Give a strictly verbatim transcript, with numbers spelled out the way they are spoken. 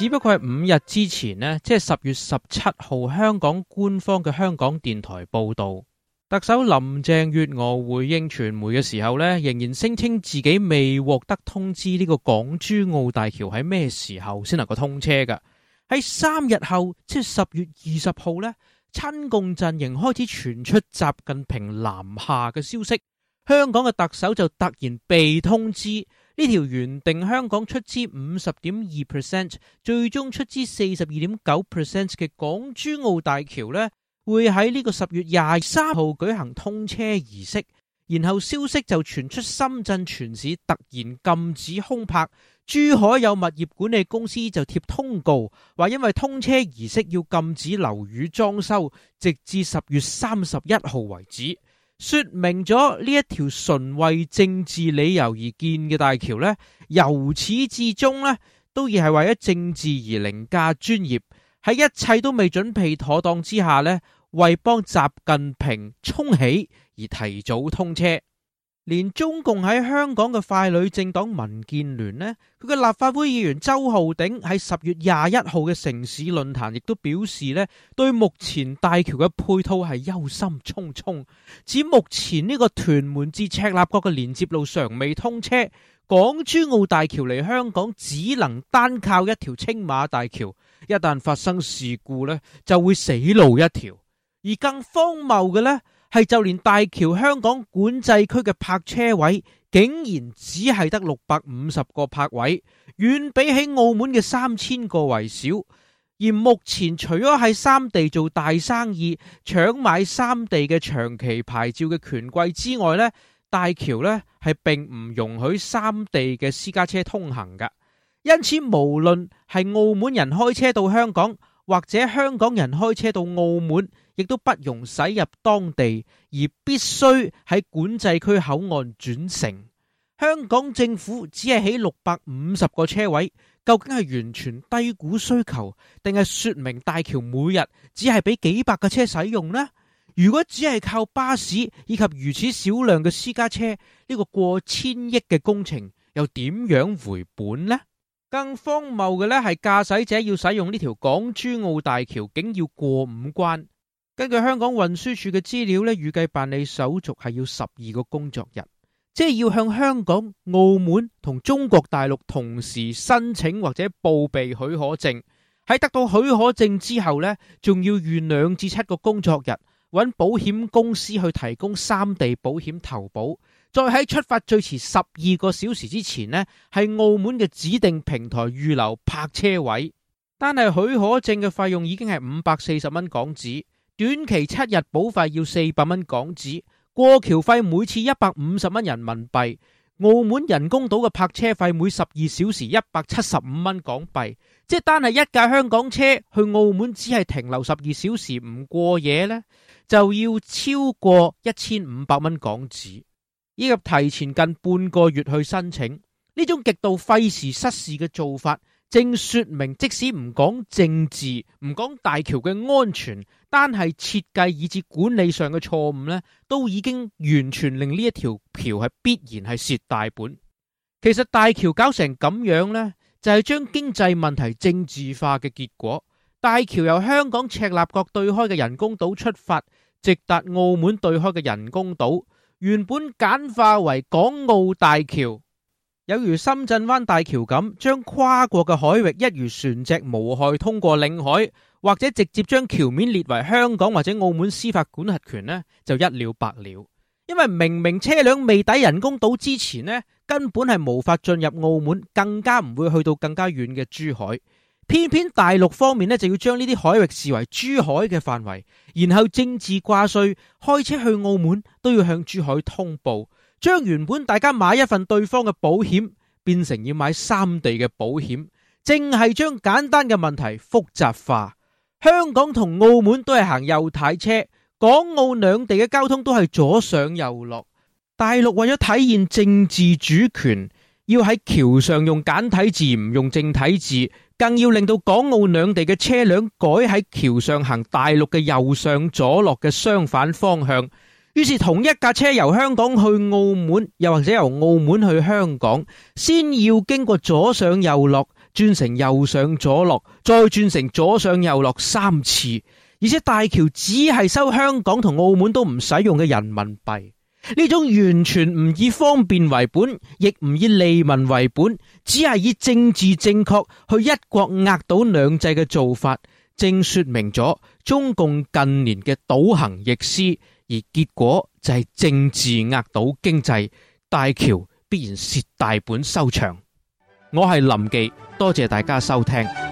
只不過係五日之前呢，即係十月十七號，香港官方嘅香港電台報道，特首林鄭月娥回應傳媒嘅時候呢，仍然聲稱自己未獲得通知呢個港珠澳大橋喺咩時候先能夠通車㗎。喺三日後，即係十月二十號呢，親共陣營開始傳出習近平南下嘅消息，香港嘅特首就突然被通知。呢條原定香港出資五十點二 percent， 最終出資四十二點九 percent 嘅港珠澳大橋呢，會喺呢個十月廿三號舉行通車儀式。然後消息就傳出深圳全市突然禁止空泊，珠海有物業管理公司就貼通告，話因為通車儀式要禁止樓宇裝修，直至十月三十一號為止。說明咗呢一條純為政治理由而建嘅大橋呢，由始至終呢都亦係為咗政治而凌駕專業，喺一切都未準備妥當之下呢，為幫習近平沖喜而提早通車。連中共喺香港嘅傀儡政黨民建聯呢，佢嘅立法會議員周浩鼎喺十月廿一號嘅城市論壇亦都表示呢，對目前大橋嘅配套係憂心忡忡，指目前呢個屯門至赤鱲角嘅連接路尚未通車，港珠澳大橋嚟香港只能單靠一條青馬大橋，一旦發生事故呢，就會死路一條。而更荒謬嘅呢，係就連大橋香港管制區嘅泊車位竟然只係得六百五十個泊位，遠比起澳門嘅三千個為少。而目前除咗喺三地做大生意、搶買三地嘅長期牌照嘅權貴之外呢，大橋呢係並唔容許三地嘅私家車通行㗎。因此無論係澳門人開車到香港，或者香港人開車到澳門，亦都不容駛入當地，而必須喺管制區口岸轉乘。香港政府只係起六百五十個車位，究竟係完全低估需求，定係說明大橋每日只係俾幾百架車使用呢？如果只係靠巴士以及如此少量嘅私家車，呢個過千億嘅工程又點樣回本呢？更荒謬嘅呢係駕駛者要使用呢條港珠澳大橋，竟要過五關。根據香港運輸署嘅資料呢，預計辦理手續係要十二個工作日，即係要向香港、澳門同中國大陸同時申請或者報備許可證。喺得到許可證之後呢，仲要預兩至七個工作日，揾保險公司去提供三地保險投保。再喺出發最遲十二個小時之前呢，係澳門嘅指定平台預留泊車位。單係許可證嘅費用已經係五百四十蚊港紙，短期七日保費要四百蚊港紙，過橋費每次一百五十蚊人民幣。澳門人工島嘅泊車費每十二小時一百七十五蚊港幣，即係單係一架香港車去澳門只係停留十二小時唔過夜呢，就要超過一千五百蚊港紙。以及提前近半個月去申請，呢種極度費時失事嘅做法，正說明即使唔講政治，唔講大橋嘅安全，單係設計以至管理上嘅錯誤呢，都已經完全令呢一條橋係必然係蝕大本。其實大橋搞成咁樣呢，就係將經濟問題政治化嘅結果。大橋由香港赤鱲角對開嘅人工島出發，直達澳門對開嘅人工島。原本簡化為港澳大橋，有如深圳灣大橋咁，將跨過嘅海域一如船隻無害通過領海，或者直接將橋面列為香港或者澳門司法管轄權呢，就一了百了。因為明明車輛未抵人工島之前呢，根本係無法進入澳門，更加唔會去到更加遠嘅珠海。偏偏大陸方面呢，就要將呢啲海域視為珠海嘅範圍，然後政治掛帥，開車去澳門都要向珠海通報，將原本大家買一份對方嘅保險變成要買三地嘅保險，正係將簡單嘅問題複雜化。香港同澳門都係行右軚車，港澳兩地嘅交通都係左上右落。大陸為咗體現政治主權，要喺橋上用簡體字唔用正體字，更要令到港澳兩地嘅車輛改喺橋上行大陸嘅右上左落嘅相反方向。於是同一架車由香港去澳門，又或者由澳門去香港，先要經過左上右落，轉成右上左落，再轉成左上右落三次，而且大橋只係收香港同澳門都唔使用嘅人民幣。呢種完全唔以方便為本，亦唔以利民為本，只係以政治正確去一國壓倒兩制嘅做法，正說明咗中共近年嘅倒行逆施，而結果就係政治壓倒經濟，大橋必然蝕大本收場。我係林忌，多謝大家收聽。